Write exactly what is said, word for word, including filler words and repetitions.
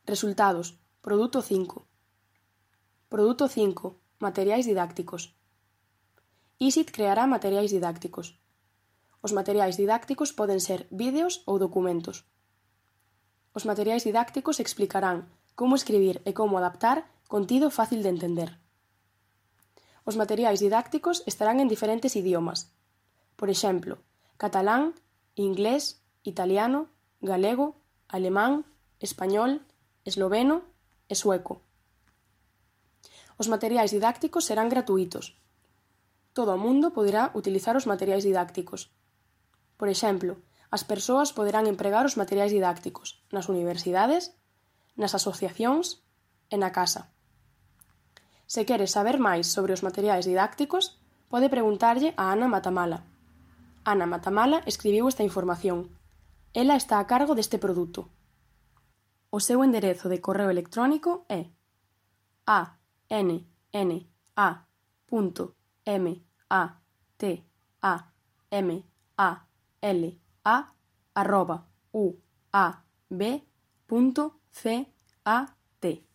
Resultados. Produto cinco. Produto cinco. Materiais didácticos. ISIT creará materiais didácticos. Os materiais didácticos poden ser vídeos ou documentos. Os materiais didácticos explicarán como escribir e como adaptar contido fácil de entender. Os materiais didácticos estarán en diferentes idiomas. Por exemplo, catalán, inglés, italiano, galego, alemán, español, esloveno e sueco. Os materiais didácticos serán gratuítos. Todo o mundo poderá utilizar os materiais didácticos. Por exemplo, as persoas poderán empregar os materiais didácticos nas universidades, nas asociacións e na casa. Se quere saber máis sobre os materiais didácticos, pode preguntarlle a Ana Matamala. Ana Matamala escribiu esta información. Ela está a cargo deste produto. O seu enderezo de correo electrónico é a n n a punto m a t a m a l a arroba u a b punto c a t.